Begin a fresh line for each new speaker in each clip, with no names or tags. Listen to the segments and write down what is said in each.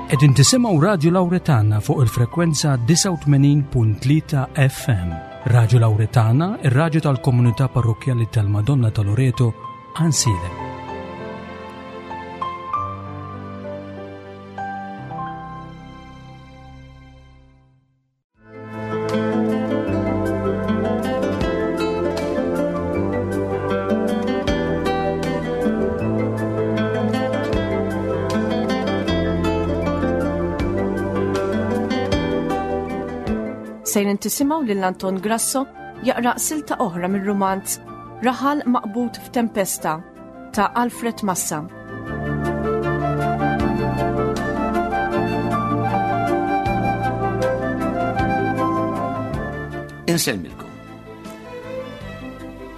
Qegħdin tisimgħu Radju Lawretana fuq il-frekwenza 89.3 FM. Radju Lawretana, ir-radju tal-komunità parrokkjali tal-Madonna ta' Loreto, Ansilem.
Sejrin tisimgħu lil Anton Grasso jaqra silta oħra mir-rumanz Raħal Maqbud f'Tempesta ta' Alfred Massa.
Insellmilkom.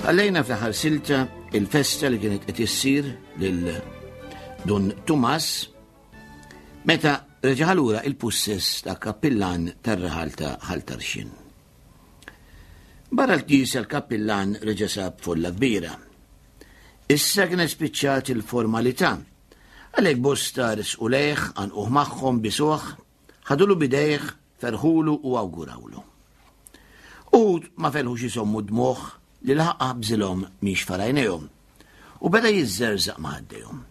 Għallejna fl-aħħar silta il-festa li kienet qed issir lil Dun Tumas meta reġa' lura il-pussess ta' kappillan tar-raħal ta' Ħal Tarxien. Barra l-knisja l-kappillan reġa' sab folla kbira. Issa kienet spiċċat il-formalità. Għalhekk bosta resqu lejh, għanquh magħhom bisuh, ħadulu bidejh, ferħulu u awgurawlu. Uħud ma felħux isommu d-dmugħ li laħaq bżilhom miex farajnejhom u beda jiżżerżaq ma' ħaddejhom.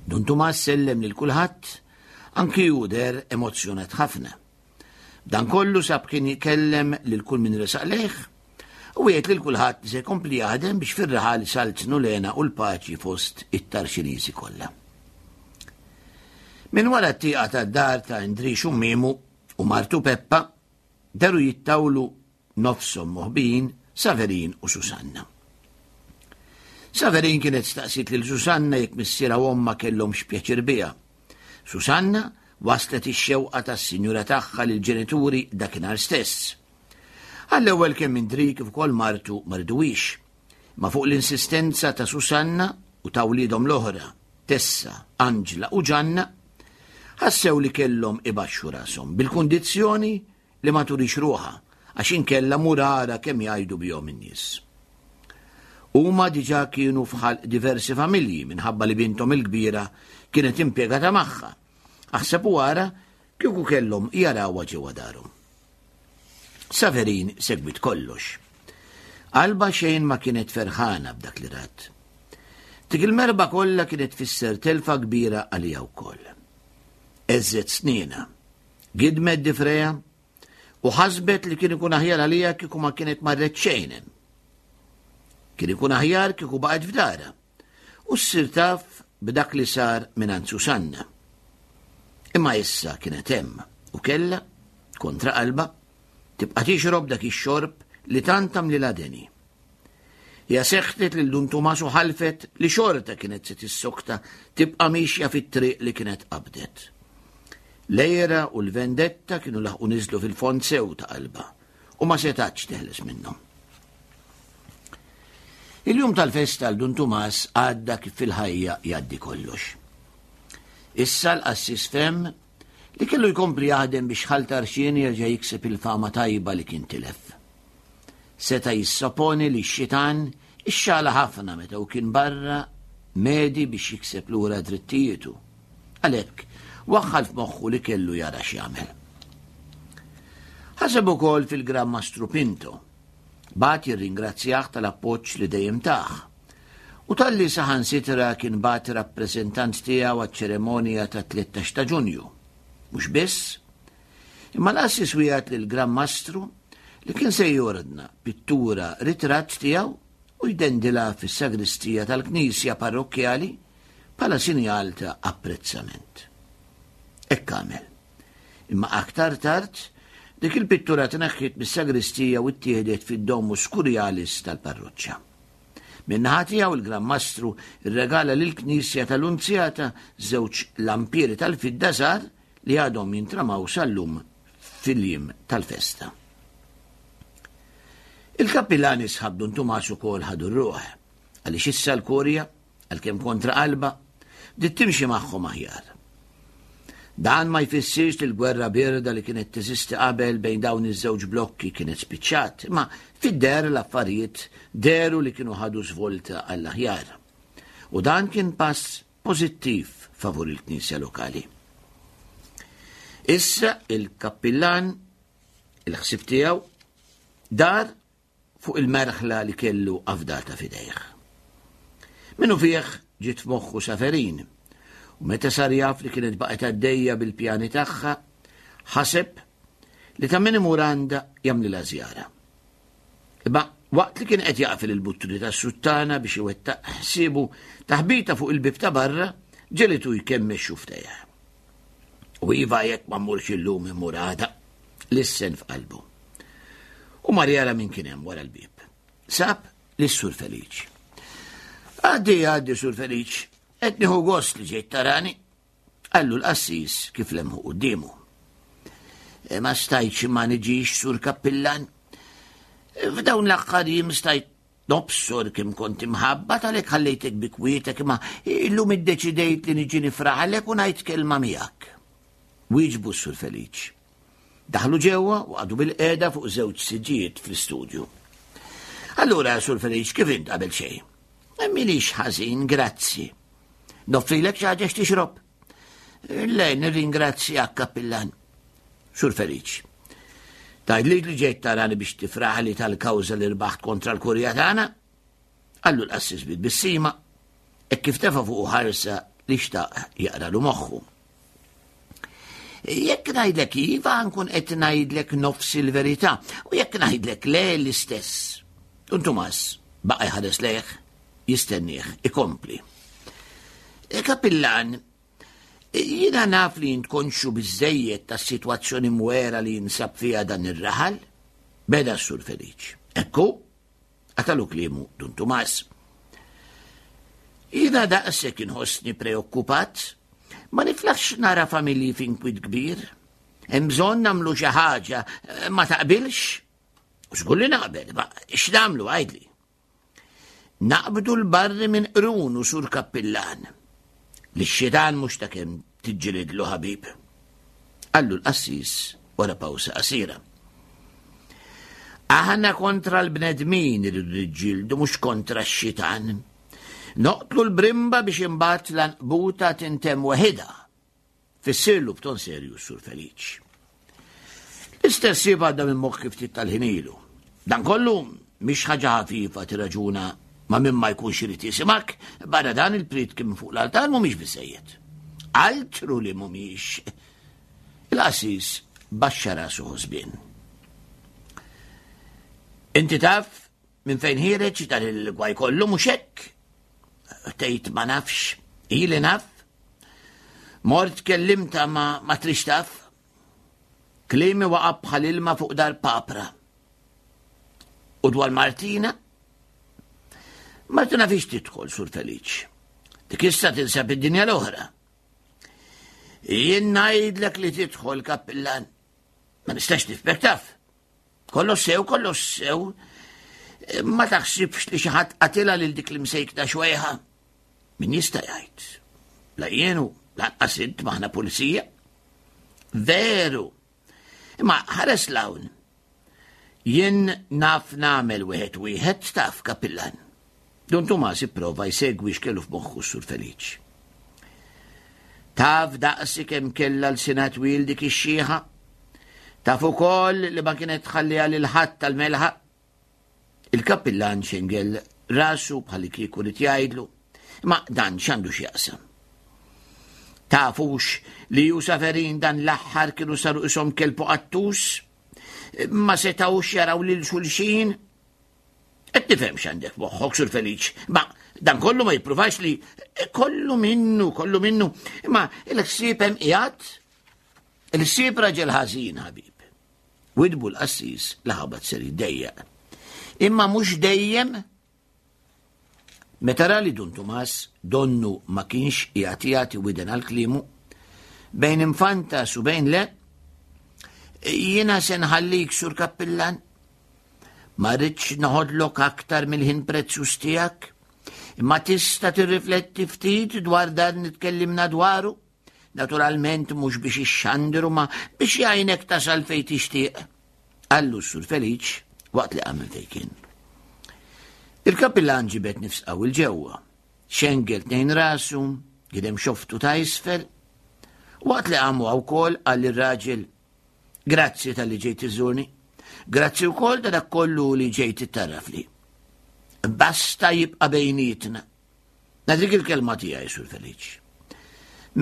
Dun Tumas sellem lil kulħadd, anki hu deher emozzjonat ħafna. Dan kollu sab kien jkellem lil kull min resaq lejh u wiegħed lil kulħadd li se jkompli jaħdem biex fir-raħal isaltnu l-hena u l-paċi fost it-Tarxiniżi kollha. Minn wara t-tieqa tad-dar ta' Indrix u Mimu u martu Peppa deru jittawlu nofshom moħbijin Saverin u Susanna. Saverin kienet staqsiet lil Susanna jekk missierha u ommha kellhomx pjaċir biha. Susanna waslet ix-xewqa tas-sinjura tagħha lill-ġenituri dakinhar stess. Għall-ewwel kemm Indri kif ukoll martu ma riduhiex. Ma fuq l-insistenza ta' Susanna u ta' wliedhom l-oħra, Tessa, Anġla u Ġanna, ħassew li kellhom ibaxxu rashom bil-kundizzjoni li ma turix ruħha għax inkella mur ara kemm jgħidu bihom in-nies. Huma diġà kienu f'ħalq diversi familji minħabba li binthom il-kbira kienet impjegata magħha. Aħseb u ara kieku kellhom jarawha ġewwa darhom. Saverin segwit kollox. Qalba xejn ma kienet ferħana b'dak li rat. Dik il-merba kollha kienet tfisser telfa kbira għalija wkoll. Eżżet snina Gidmet difreja u ħasbet li kien ikun aħjar għalija kieku ma kienet marret xejn hemm. Kien ikun aħjar kieku baqgħet f'dara u ssir taf b'dak li sar mingħand Susanna. Imma issa kienet hemm u kellha, kontra qalba, tibqa' tixrob dak ix-xorb li tant għamlilha deni. Hija seħtet lil Dun Tumas u ħalfet li xorta kienet se tissokta tibqa' miexja fit-triq li kienet qabdet. L-għira u l-vendetta kienu laħqu niżlu fil-fond sew ta' qalbha u ma setgħetx teħles minnhom. Il-jum tal-festa għal Dun Tumas għadda kif fil-ħajja jgħaddi kollox. Issa l-qassis fem li kellu jkompli jaħdem biex Ħal Tarxien jerġa' jikseb il-fama tajba li kien tilef. Seta' jissoponi li x-xitan ixxala ħafna meta hu kien barra medi biex jikseb lura drittijietu. Għalhekk, waħħal f'moħħu li kellu jara x'jagħmel. Ħaseb ukoll fil-Gran Mastru Pinto. Bagħat jirringrazzjah tal-appoġġ li dejjem tah. U talli saħansitra kien bagħat rappreżentant tiegħu għaċ-ċeremonja tat-13 ta' Ġunju. Mhux biss, Imma l-qassis wiegħed lill-Gran Mastru li kien se jordna pittura ritratt tiegħu u jdendilha fis-sagristija tal-knisja parrokkjali bħala sinjal ta' apprezzament. Hekk għamel. Imma aktar tard, dik il-pittura tneħħiet mis-sagristija u ttieħdet fid-Domus Curialis tal-parroċċa. Min-naħa tiegħu il-Gran Mastru rregala lill-knisja tal-Lunzjata żewġ lampieri tal-fidda żgħar li għadhom jintramaw sal-lum fil-jiem tal-festa. Il-kappillani sħab Dun Tumas ukoll ħadu r-ruħ, għaliex issa l-kurja, għalkemm kontra qalba, bdiet timxi magħhom aħjar. Dan ma jfissirx li l-gwerra birda li kienet teżisti qabel bejn dawn iż-żewġ blokki kienet spiċċat, imma fid-deher l-affarijiet dehru li kienu ħadu żvolta għall-aħjar. U dan kien pass pożittiv favur il-Knisja lokali. Issa il-kappillan, il-ħsieb tiegħu, dar fuq il-merħla li kellu afdata f'idejh. Minnu fih ġiet f'moħħu Saferin, u meta sar jaf li kienet baqgħet għaddejja bil-pjani tagħha, ħaseb li ta' min imur għandha jagħmlilha żjara. Imma waqt li kien qed jaqfel il-buttuni tas-suttana biex iwettaq ħsiebu taħbita fuq il-bib ta' barra ġelitu jkemmex xuftejh. U iva jekk ma mmurx illum immur għada, lissen f'qalbu. U mar jara min kien hemm wara l-bieb. Sab lis-Sur Feliċ. Għaddi, għaddi, Sur Feliċ, qed nieħu gost li ġejt tarani. Qallu l-qassis kif lemħu quddiemu. E, ma stajtx ma niġix, Sur Kappillan. F'dawn l-aħħar jiem stajt Nobsor kemm kont imħabbat għalhekk ħallejtek bi kwietek imma illum iddeċidejt li niġi nifraħlek u ngħid kelma miegħek. Wieġbu s-Sur Feliċ. Daħlu ġewwa u qagħdu bil-qiegħda fuq żewġ siġġijiet fl-istudju. Allura, Sur Feliċ, kif int qabel xejn? Minix ħażin, grazzi. Noffrilek xi ħaġa x'tixrob? Le, nirringrazzjak, kappillan. Sur Feliċ. Tgħidli li ġejt tarani biex tifraħli tal-kawża li rbaħt kontra l-kurja tagħna? Qallu l-qassis bit-tbissima, hekk kif tefa' fuqu ħarsa li xtaq jaqralu moħħu. Jekk ngħidlek iva nkun qed ngħidlek nofs il-verità u jekk ngħidlek le l-istess. Dun Tumas baqa' jħares lejh jistennieh ikompli. E, Kapillan, jiena naf li int konxju biżejjed tas-sitwazzjoni mwera li jinsab fiha dan ir-raħal, beda s-Sur Feliċ. Ekku, qatalu kliemu Dun Tumas. Jiena daqshekk inħossni preokkupat, ma niflaħx nara familji f'inkwiet kbir. Hemm bżonn nagħmlu xi ħaġa, ma taqbilx? Żgur li naqbel, ma x'nagħmlu għidli. Naqbdu l-barri minn qrunu sur kappillan. Li x-xitan mhux ta' kemm tiġġilidlu ħabib. Qallu l-qassis wara pawsa qasira. Aħna kontra l-bnedmin irridu niġġieldu mhux kontra x-xitan. Noqtlu l-brimba biex imbagħad l-anqbuta tintemm weħidha. Fissirlu b'ton serju s-Sur Feliċ. L-istess ħsieb għadda minn moħħi ftit tal-ħin ilu. Dan kollu mhix ħaġa ħafifa tirraġuna ma' min ma jkunx irid jisimak, barra dan il-prietki minn fuq l-altar mhumiex biżejjed. Altru li mhumiex. Il-qassis baxxa rasu ħosbien. Inti taf minn fejn ħireġ dan il-gwaj kollu mhux hekk? Tgħid ma nafx, ili naf. Mort kellimta ma, ma trix taf. Kliemi waqa' bħal ilma fuq dar papra. U dwar Martina? Martina fiex tidħol, Sur Feliċ. Dik issa tinsab id-dinja l-oħra. Jien ngħidlek li tidħol kappillan. Ma nistax nifmek taf. Kollox sew, kollox sew. Ma taħsibx li xi ħadd qatilha lil dik l-imsejkna xwejħa? Min jista' jgħid? La jienu, lanqas int maħna pulizija. Veru. Imma ħares l-hawn. Jien naf nagħmel wieħed wieħed taf kapillan. Dun Tumas ipprova jsegwi x'kellu f'moħħu s-Sur Feliċ. Taf daqsi kemm kellha lsinha twil dik ix-xiħa? Taf ukoll li ma kienet tħalliha lil ħadd tal-melħa? Il-kappillan xengel rasu bħalli kieku rid jgħidlu, imma dan x'għandu x'jaqsam? Tafux li ju Saferin dan l-aħħar kienu saru ishom kelb u qattus? Ma setgħux jaraw lil xulxin? Qed nifhem x'għandek moħħok, Sur Feliċ, ma dan kollu ma jippruvax li kollu minnu, kollu minnu, imma il-ħsieb hemm qiegħed. Il-ħsieb raġel ħażin, ħabib. Widbu l-qassis li ħabat ser jiddejjaq. Imma mhux dejjem Meta ra li Dun Tumas donnu ma kienx qiegħed jagħti widen għal kliemu, bejn infantas u bejn le, jiena se nħallik sur kappillan. Ma rridx noħodlok aktar mill-ħin prezzjuż tiegħek, imma tista' tirrifletti ftit dwar dan li tkellimna dwaru. Naturalment mhux biex ixxandru ma biex jgħinek tasal fejn tixtieq. Qallu s-Sur Feliċ waqt li qam minn fejn kien. Il-kapillan ġibed nifs qawwi 'l ġewwa, xengel tnejn rasu, gidem xoftu ta' isfel. Waqt li qamu wkoll qal lir-raġel, Grazzi talli ġejt iżżurni. Grazzi wkoll ta' dak kollu li ġejt ittarrafli. Basta jibqa' bejnietna. Nagħtik il-kelma tiegħi, Sur Feliċ.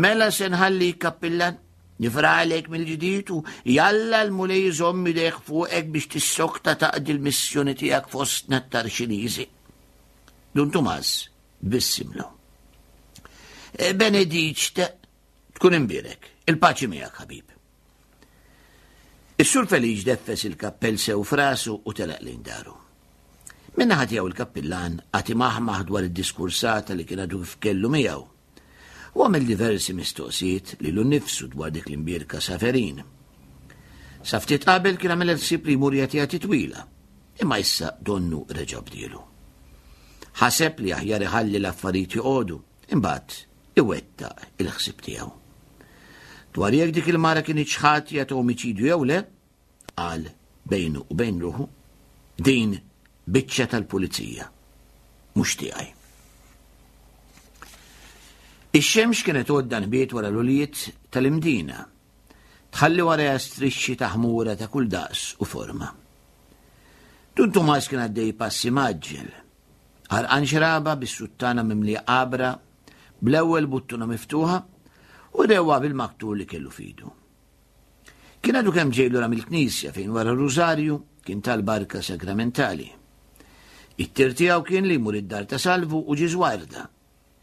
Mela se nħalli kappillan, nifralek mill-ġdid u jalla l-Mulej iżomm idejh fuqek biex tissokta taqdi l-missjoni tiegħek fostna t-Tarxiniżi. Dun Tumas bissimlu. E, Benediċ tkun imbierek, il-paċi miegħek ħabib. Is-Sur Feliċ deffes il-kappell sew f'rasu u telaq lejn daru. Min-naħa tiegħu il-kappillan qagħad imaħmaħ dwar id-diskursata li kien għadu kif kellu miegħu. U għamel diversi mistoqsijiet lilu nnifsu dwar dik l-imbierka Saverin. Sa ftit qabel kien għamel ħsieb li jmur jagħtiha titwila, imma issa donnu reġa' bdielu. Ħaseb li aħjar iħalli l-affarijiet joqogħdu, imbagħad iwettaq il-ħsieb tiegħu. Dwar jekk dik il-mara kinitx ħatja ta' omiċidju jew le, qal bejnu u bejn ruħu, din biċċa tal-pulizija, mhux tiegħi. Ix-xemx kienet għodda nbiet wara l-uliet tal-Imdina, tħalli warajha strixxi ta' ħmura ta' kull daqs u forma. Dun Tumas kien għaddej passi maġġel, Għarqan xraba bis-suttana mimlija għabra, bl-ewwel buttuna miftuħa u dewwa bil-maktur li kellu fidu. Kien għadu kemm ġej lura mill-knisja fejn wara r-rużarju kien tal-barka sagramentali. It-tir tiegħu kien li jmur id-dar ta' Salvu u Ġiżwarda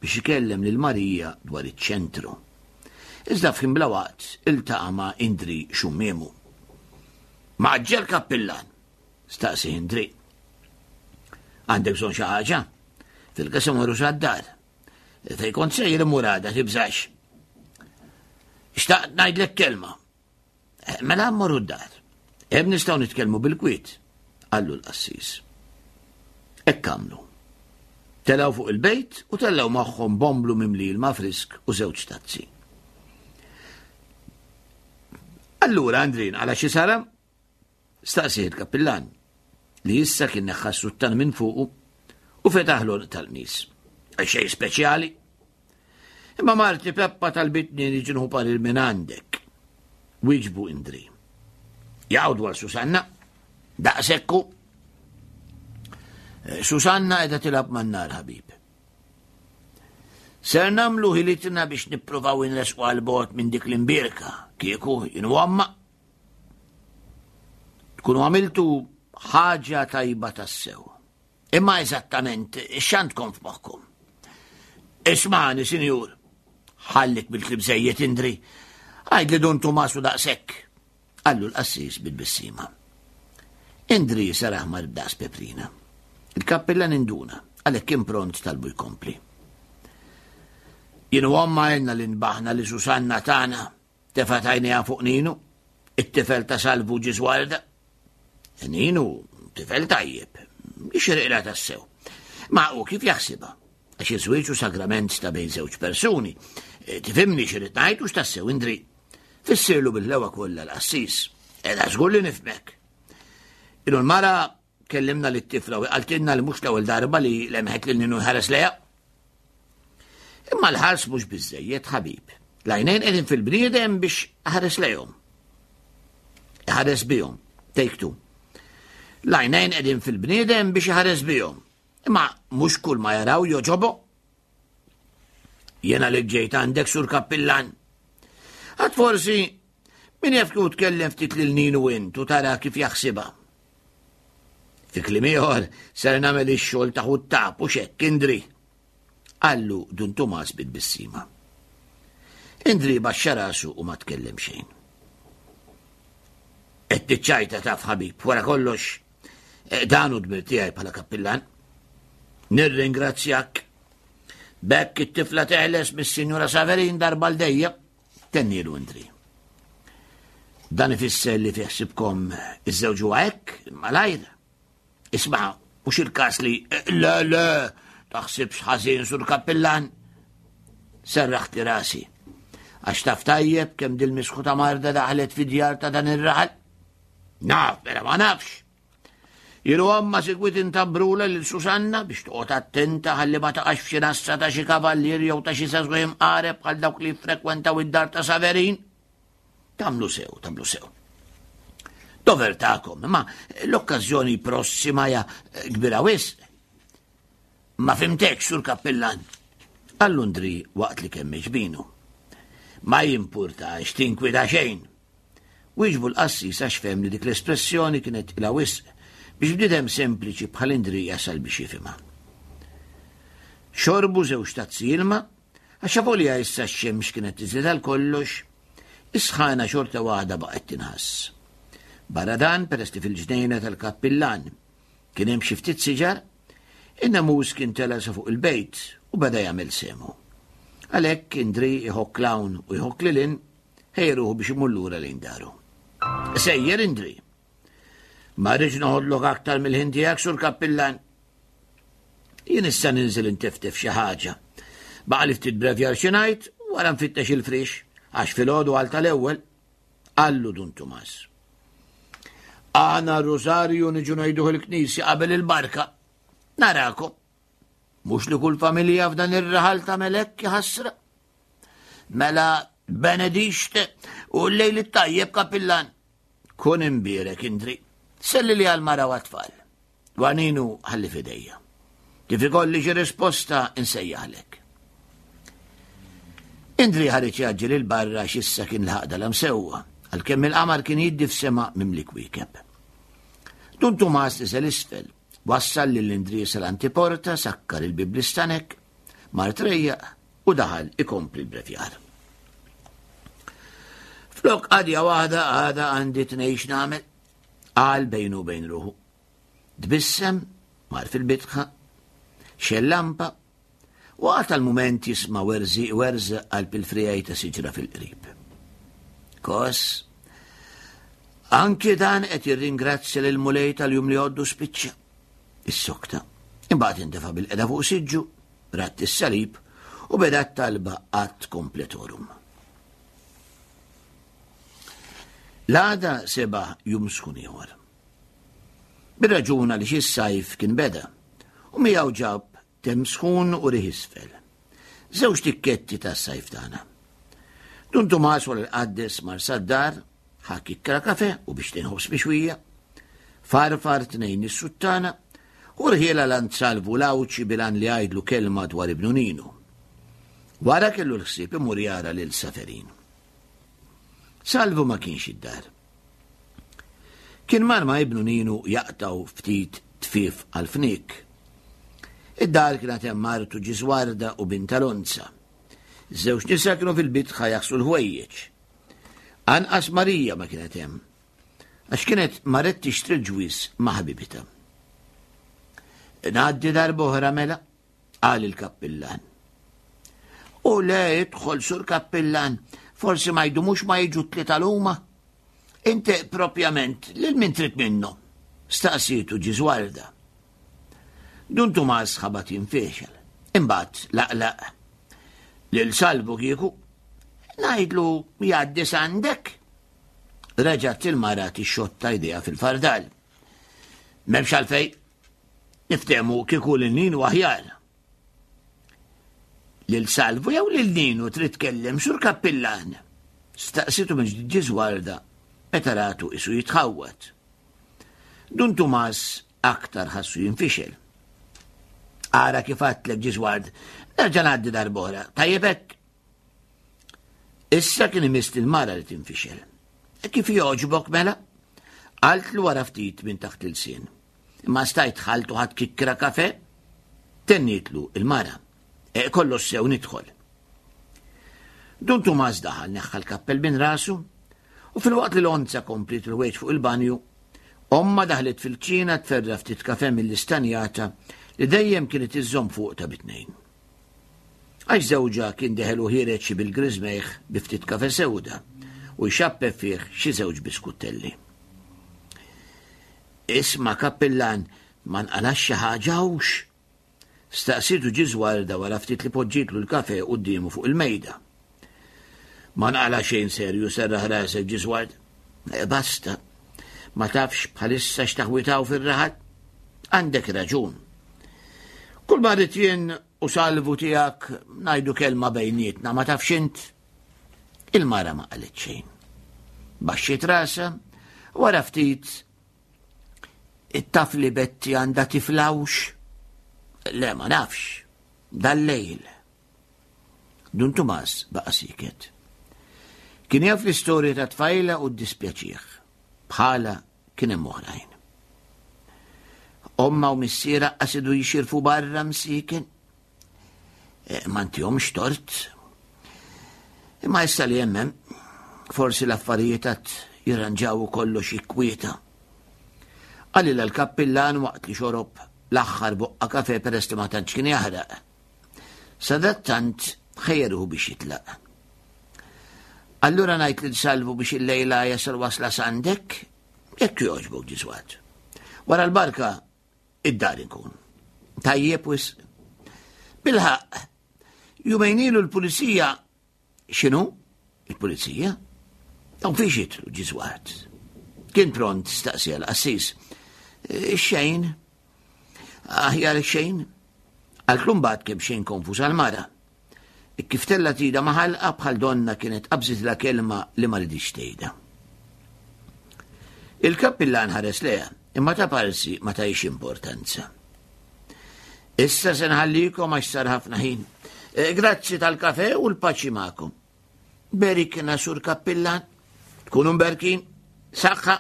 biex ikellem lil Marija dwar iċ-ċentru. Iżda f'ħin bla waqt iltaqa' ma' Indri Xummiemu. Maġġel kappillan! Staqsi Indri. Għandek bżonn xi ħaġa? Fil-każ imorru sad-dar. Fejn kont sejjer immur għada, tibżax. Xtaqt ngħidlek kelma. Eh, mela mmorru d-dar. Hemm nistgħu nitkellmu bil-kwiet, qallu l-qassis. Hekk għamlu. Telgħu fuq il-bejt u tellgħu magħhom bomblu mimli ilma frisk u żewġ tazzi. Allura, Andrin, għala xi sara? Staqsieh il-kappillan, li issa kien neħħa s-suttan minn fuqu u fetaħ l-għonq tal-qmis. Xejn speċjali. Imma marti Peppa talbitni niġi nħu parir minn għandek. Wieġbu Indri. Jaqgħu dwar Susanna. Daqsekku. Eh, Susanna qiegħda tilgħab man-nar ħabib. Ser namlu ħilitna biex nippruvaw inresqu għal bot minn dik l-imbirka, kieku jien għamma. Tkunu għamiltu ħaġa tajba tassew. Imma eżattament x'għandkom f'moħħkom? Ismani, sinjur, ħallik bil-klib żejjed Indri, għajd li dun Tumasu daqshekk, qallu l-qassis bil-bissima. Indri sar aħmar b'daqs peprina. Il-kappillan induna, għalhekk kien pront talbu jkompli. Jien u omma għelna li nbaħna li Susanna tagħna Tefgħet għajnejha fuq Ninu, it-tifel ta' Salvu Ġiżwarda. Ninu, tifel tajjeb, jixirqilha tassew. Ma hu kif jaħsibha? Għax iż-żwieġ hu sagrament ta' bejn żewġ persuni. E, tifhimni x'irid ngħid u x'tassew Indri. Fissirlu bil-lewa kollha l-qassis. Eda żgur li nifhmek. Ilu l-mara Kellimna lit-tifla u qaltilna li mhux l-ewwel darba li lemħet lil Ninu jħares lejha. Imma l-ħars mhux biżejjed ħabib. L-għajnejn qegħdin fil-bniedem biex ħares lejhom. Ħares bihom. Take two. L-għajnejn qegħdin fil-bniedem biex iħares bihom. Imma mhux kull ma jaraw joġobu. Jena li ġejt għandek sur kappillan. Għad forsi min jaf kieku tkellem ftit lil Ninu int u tara kif jaħsibha. Fi kliem ieħor ser nagħmel ix-xogħol ta' ħuttab u xekk Indri. Qallu Dun Tumas bit-tbissima. Indri baxxa rasu u ma tkellem xejn. Qed tiċċajta taf ħabib, wara kollox eh, dan hu dmir tiegħi bħala kappillan. Nirringrazzjak. Bekk it-tifla teħles mis-Sinjura Saverin darba l dejjem. Tennielu Indri. Dan ifisser li fi ħsibkom iż-żewġ huwa hekk, malajr. Isma' mhux il-każ li le le taħsibx ħażin sur kappillan. Serraħti rasi. Għax taf tajjeb kemm dil-misħu ta' marda daħlet fi djar ta' dan ir-raħal. Naf, mela ma nafx. Jien u omma sikwit intabrula lil Susanna biex toqgħod attenta ħalli ma taqax f'xi nassa ta' xi kavallier jew ta' xi żagħżugħ imqareb bħal dawk li jiffrekwentaw id-dar ta' Saverin. Tagħmlu sew, tagħmlu sew. Dover tagħkom, imma l-okkażjoni prossima hija kbira wisq. Ma fimtekx, sur kappillan. Għall-Undri waqt li kemm ġbinu. Ma jimpurtax tinkwita xejn. Wieġbu l-qassis għax fehem li dik l-espressjoni kienet tqila wisq biex bniedem sempliċi bħal Indri jasal biex jifhimha. Xorbu żewġ tazzi ilma, għax avolja issa x-xemx kienet tiżlet għal kollox, is-sħana xorta waħda baqgħet tinħass. Barra dan, peress li fil-ġnejna tal-kappillan kien hemm xi ftit siġar, in-nemus kien tela' sa fuq il-bejt u beda jagħmel sehmu. Għalhekk Indri jħokk 'l hawn u jħokk lil hinn Ħejja ruħu biex imur lura lejn daru. Sejjer Indri. Ma rridx noħodlok aktar mill-ħin tiegħek sur kappillan. Jien issa ninżel inteftef xi ħaġa. Baqa' li ftit brevjar xi ngħid wara nfittex il-frix għax filgħodu għal tal-ewwel qallu Dun Tumas. Għana r-Rosarju niġu ngħiduh il-knisja qabel il-barka. Narakom. Mhux li kull familja f'dan ir-raħal tagħmel hekk ħasra. Mela benedixt u l-lejl it-tajjeb kapillan. Kun imbierek Indri. Selli li għal-mara u għat-tfal. Għaninu ħalli fidejja. Kif ikolli xi risposta insejjaħlek. Indri ħareġ jaġġel il-barra x'issa kien l-ħaqda lam sewwa, għalkemm il-qamar kien jiddi f'sema mimli kwiekeb. Dun Tumas niżel isfel, wassal lil Indri sal-antiporta, sakkar il-bib l-istanek, mar trejjaq u daħal ikompli l-brevjar. Flok qadja waħda għada għandi tnejx nagħmel, qal bejnu bejn ruħu. Tbissem, mar fil-bitħa, xell lampa, u għata l-mument jisma' werżi werż qalb il-frijaj ta' siġra fil-qrib. Kos, anki dan qed jirringrazzja lil Mulej tal-jum li għoddu spiċċa. Is-sokta. Imbagħad intefa' bil-qeda fuq siġġu Radd is-salib u beda t-talba ad completorum. L-għada seba' jum sħun ieħor. Bir-raġun għaliex is-sajf kien beda u miegħu ġab tem sħun u riħ isfel. Żewġ tikketti tas-sajf tagħna. Dun Tumas wara l-qaddes mar sad-dar, ħa kikkra kafe u biex tinħobs mixwija, farfar tnejn is-suttana u rħiela l Salvu l-Għawdxi bil-għan li jgħidlu kelma dwar ibnu Ninu. Wara kellu l-ħsieb imur jara lil Saferin. Salvu ma kienx id-dar. Kien mar ma' ibnu Ninu jaqtaw ftit tfif għal-fnik. Id-dar kienet hemm martu Ġiżwarda u binta Lonza. Żewġ nisa kienu fil-bitħa jaħslu l-ħwejjeġ. Anqas Marija ma kienet hemm. Għax kienet marret tixtri l-ġwież ma' ħabibitha. Ngħaddi darb'oħra mela, qal il-kappillan. U le idħol sur kappillan, forsi ma jdumux ma jiġu tlieta l-huma. Inti propjament lil min trid minnhom? Staqsietu Ġiżwarda. Dun Tumas ħabat jinfexel. Imbagħad laqlaq. Lil Salvu kieku ngħidlu jgħaddi sandek. Reġgħet il-mara tixxotta jdejha fil-fardal. M'hemmx għalfejn. Niftehmu kieku lil Ninu aħjar. Lil Salvu jew lil Ninu trid tkellem sur kappillan. Staqsitu minn ġdid Ġiżwarda meta ratu isu jitħawwad. Dun Tumas aktar ħassu jinfixel. Ara kif għadtlek Ġiżward, nerġa' ngħaddi darb'oħra. Tajjeb hekk? Issa kien imiss il-mara li tinfixel. E kif jogħġbok mela? Qaltlu wara ftit minn taħt il-sien. Imma stajt ħaltu ħadd kikkra kafe? Tennietlu il-mara. E kollox sew nidħol. Dun Tumas daħal neħħa l-kappell minn rasu u fil-waqt li l-onza komplit il-ħwejġ fuq il-banju, omma daħlet fil-kċina tferra ftit kafe mill-istanjata li dejjem kienet iżżomm fuq ta' bitnejn. Għax żewġha kien deħel u ħiereġ xi bil-griżmejh bi ftit kafe sewda u jxappeb fih xi żewġ biskuttelli. Isma' kappillan, ma nqalax xi ħaġa hux? Staqsietu Ġiżwarda wara ftit li poġġietlu l-kafe quddiemu fuq il-mejda. Ma nqala xejn serju serraħ rasek Ġiżward. E basta, ma tafx bħalissa x'taħwitaw fir-raħal? Għandek raġun. Kull ma rrid jien u salvu tiegħek ngħidu kelma bejnietna ma tafx int. Il-mara ma qalet xejn. Baxxiet rasha, wara ftit it-taf li Betti għandha tiflawx. Le ma nafx. Dal-lejl. Dun Tumas baqa' siket. Kien jaf l-istorja ta' tfajla u ddispjaċih. Bħala kien hemm oħrajn. Omma u missiera qasidu jixirfu barra msiken. E, ma ntihomx tort. Imma issa li hemm forsi l-affarijiet għad jirranġaw u kollox jikkwieta. Qalilha l-kappillan waqt li xorob l-aħħar boqqa kafe peress li ma tantx kien jaħraq. Sadattant ħejjeruhu biex jitlaq. Allura ngħid lil Salvu biex illejla jasal wasla s'għandek, jekk jogħġbok ġiswat. Wara l-barka id-dar inkun. Tajjeb wisq. Bilħaq, jumejn ilu l-pulizija X'inhu? Il-pulizija? Dawn fiex jidħlu ġiżwat? Kien pront staqsija l-qassis. E, xejn. Aħjar xejn. Għal mbagħad kemm xejn konfuż għal-mara. E, kif tella tida maħalqa bħal donna kienet qabżit la kelma li ma ridix tgħidha. Il-kappillan ħares leha, imma ta' parsi ma tajx importanza. Issa se nħallikom għax sar ħafna ħin. Eh, grazzi tal-kafe u l-paċi magħkom. Berikna sur kappillan, tkunu mberkin, saħħa.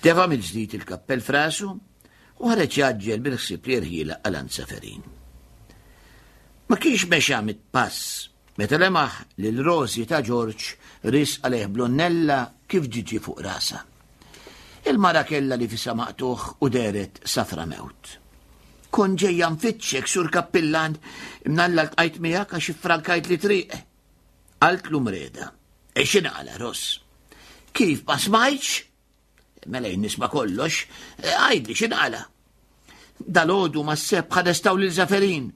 Tefa mill-ġdid il-kappell frasu u ħareġ jaġġel bil-ħsieb li jirħila għal Seferin. Ma kienx mexa mit-pass meta lemaħ lil Rosi ta' Ġorġ ris għalih blonnella kif ġiġi fuq rasa. Il-mara kellha li fisha maqtugħ u dehret safra mewt. Kont ġejja nfittxek, sur kappillan, imnalla ltqajt miegħek għax iffrankajtli triq. Qaltlu mreda. E x'inqala, Ross? Kif ma smajtx? Mela jien nisma' kollox, e, għidli x'inqala? Dalodu ma s-seb ħadestaw lil Zaferin.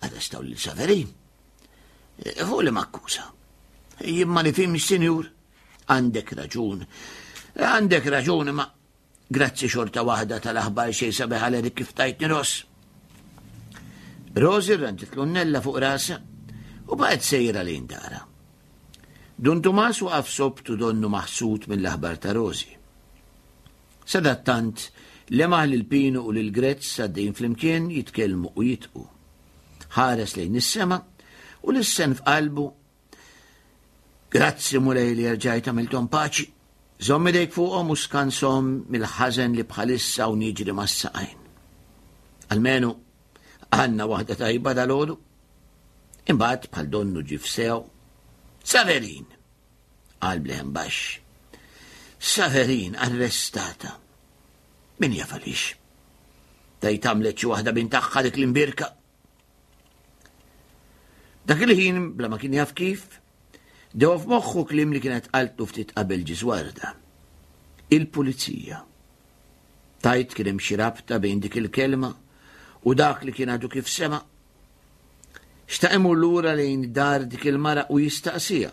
Arrestaw lil Saverin. E, fuq li makkuża. Jien ma nifhimx, sinjur. Għandek raġun. Għandek raġun, ma grazzi xorta waħda tal-aħbar xejn sabiħ għal kif tajtni ross. Rosi rranġet l-unnella fuq rasa u baqgħet sejra lejn dara. Dun Tumas waqaf sobtu donnu maħsud mill-aħbar ta' Rosi. Sadattant, lemaħ lil Pinu u lil Grezz għaddejjin flimkien jitkellmu u jidħku. Ħares lejn is-sema u lissen f'qalbu, Grazzi Mulej li erġajt għamilthom paċi. Żomm idejk fuqhom u skanshom mill-ħażen li bħalissa hawn jiġri mas-saqajn. Almenu għandna waħda tajba dalgħodu. Imbagħad bħal donnu ġie f'sew. Saverin! Qal b'leħen baxx. Saverin arrestata. Min jaf għaliex? Tgħid għamlet xi waħda bin tagħha dik l-imbirka. Dak il-ħin, bla ma kien jaf kif, dewa f'moħħu kliem li kienet qaltlu ftit qabel ġiżwarda. Il-pulizija. Tajt kien hemm xi rabta bejn dik il-kelma u dak li kien għadu kif sema'. Xtaq imur lura lejn dar dik il-mara u jistaqsiha.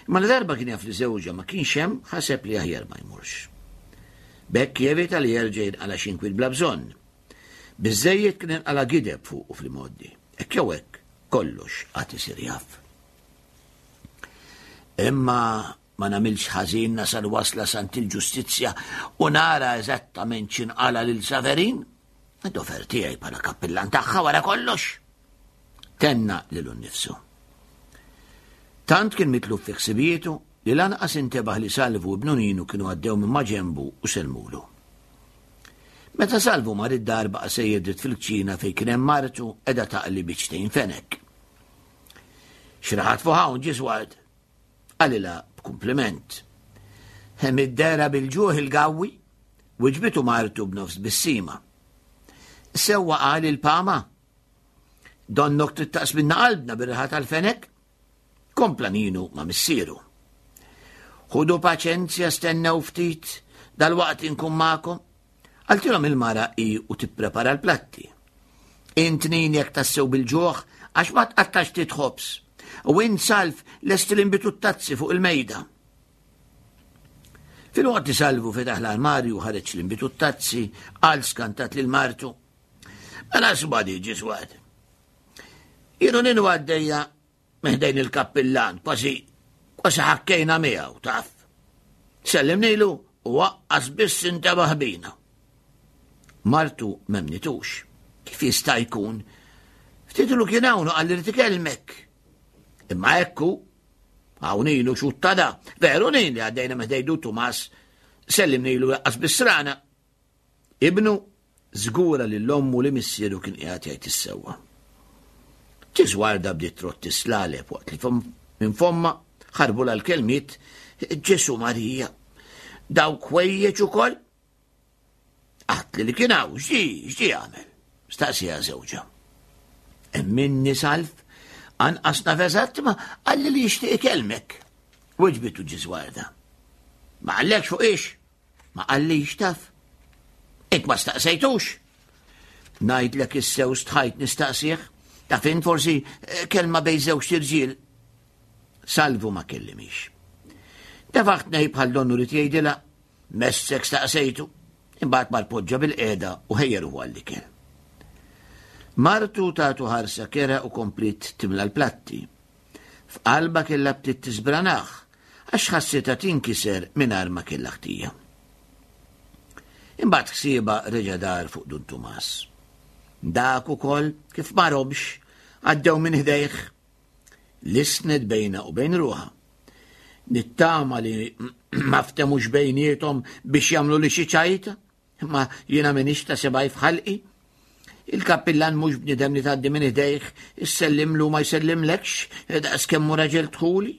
Imma la darba kien jaf li żewġha ma kienx hemm, ħaseb li aħjar ma jmurx. B'hekk jevita li jerġa' jinqala' xi inkwiet bla bżonn. Biżżejjed kien inqala' gideb fuqu fl-imgħoddi. Hekk jew hekk, kollox għad isir jaf. Imma ma nagħmilx ħażin nasal wasla sant il-ġustizzja u nara eżattament x'inqala lil Saverin, dover tiegħi bħala kappillan tagħha wara kollox. Tenna lilu nnifsu. Tant kien mitluf fi ħsibietu li lanqas intebaħ li Salvu u ibnu Ninu kienu għaddew minn maġenbu u sellmulu. Meta Salvu mar id-dar baqa' sejjer dritt fil-kċina fejn kien hemm martu qiegħda taqli biċċtejn fenek. Xraħat fuq hawn ġisward, Qalilha b'kumpliment. Hemm id-dehra bil-ġuħ il-gawwi, wiġbitu martu b'nofs tbissima. Sewwa qal il-pama. Donnok trid taqsminna qalbna bir-riħa tal-fenek? Kompla Ninu ma' missieru. Ħudu paċenzja stennew ftit, dalwaqt inkun magħkom. Qaltilhom il-mara hi u tipprepara l-platti. Int Nin jekk tassew bil-ġuħ għax ma tqattax ftit ħobż. U int Salv lesti l-inbitu t-tazzi fuq il-mejda. Filwaqt li Salvu fetaħ l-armarju u ħareġ l-inbid u t-tazzi, qal skantat lil martu. Mela sbadi ġiswad. Jienu ninu għaddejja meħdejn il-kappillan, kważi kważi ħakkejna miegħu, taf. Sellimnilu u waqqas biss intebaħ bina. Martu memnitux. Kif jista' jkun? Ftitlu kien hawn u qalli li tikellmek. Imma ekku, Hawn ilu xuttada, veru nin li għaddejna meħdejdu Tumas, sellimnilu jaqqas bisrana. Ibnu żgura li l-ommu li missieru kien qiegħed jgħid is-sewwa. Ġiżwarda bdiet trott tislaleb waqt li minn fomma ħarbu l-kelmiet Ġesu Marija. Dawk ħwejjeġ ukoll Għatli li kien hawn, x'ġi, x'ġi għamel? Staqsija żewġha. Emminni salf, anqas naf eżatt ma qalli li jixtieq ikellmek. Weġbitu ġiżwarda. Ma qallekx fuq ix? Ma qallix taf. Int ma staqsejtux? Ngħidlek is-sew stħajt nistaqsih, taf int forsi eh, kelma bej żewġ irġiel. Salvu ma kellimix. Tefaħt nej bħal donnu li tgħidilha Messek staqsejtu, imbagħad mar poġġa bil-qiegħda u ħejja ruħu għall-ikel. Martu tatu ħarsa kera u kompliet timla l-platti. F'qalba kellha bdiet tisbranah għax ħassitha tinkiser mingħajr ma kellha ħtija. Imbagħad ħsiebha reġa' dar fuq Dun Tumas. Dak ukoll kif ma robx għaddew minn ħdejh Lissnet bejnha u bejn ruħha. Nittama li ma ftemux bejniethom biex jagħmlu li xi ċajta, imma jiena m'iniex ta' sebgħi f'ħalqi. Il-kappillan mhux bniedem li tgħaddi minn idejh, issellimlu ma jsellimlekx daqs kemm hu raġel dħuli.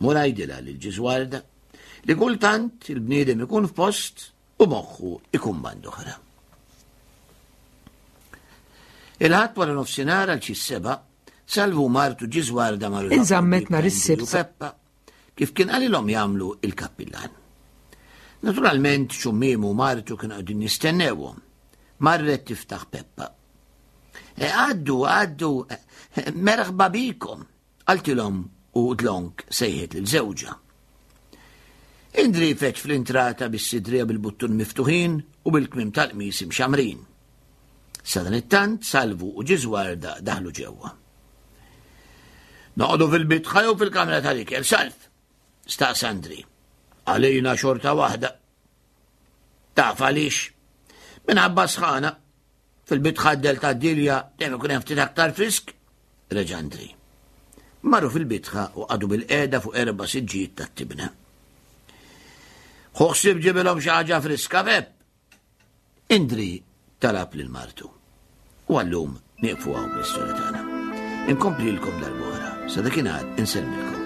Mur għidilha lil Ġiżwarda li kultant il-bniedem ikun f'post u moħħu ikun band'oħra. Il-Ħadd wara nofsinhar għal xi seba, Salvu martu Ġiżwarda marru
Inżammet nhar is-Sibt.
Peppa kif kien qalilhom jagħmlu il-kappillan. Naturalment xummiemu martu kienu qegħdin jistennewhom. Marret tiftaħ Peppa. E, għaddu, għaddu, e, merħba bikom. Qaltilhom u dlonk sejħet lil żewġha. Indri feġġ fl-intrata bis-sidrija bil-buttun miftuħin u bil-kmiem tal-qmis imxammrin. Sadanittant Salvu u Ġiżwarda daħlu ġewwa. Noqogħdu fil-bitħa jew fil-kamra tal-ikel, Salv? Staqsa Andri. Għalina xorta waħda. Taf għaliex? Minħabba sħana. Fil-bitħa d-del tad-dilja dejjem ikun hemm ftit aktar frisk, reġa' Andri. Marru fil-bitħa u qagħdu bil-qiegħda fuq erba' siġġijiet tat-tibna. Ħu ħsieb ġibilhom xi ħaġa friska, Pepp. Indri talab lil martu. U għallum nieqfu hawn bl-istorja tagħna. Inkomplilkom darb'oħra, sa dakinhar insellmilkom.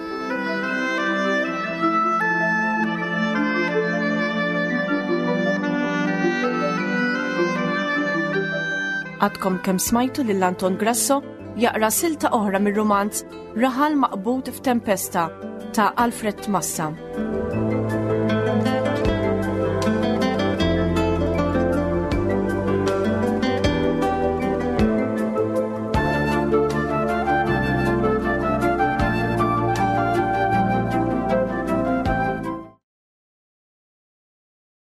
Għadkom kemm smajtu lil Anton Grasso jaqra silta oħra mir-rumanz Raħal maqbud f'tempesta ta' Alfred Massa.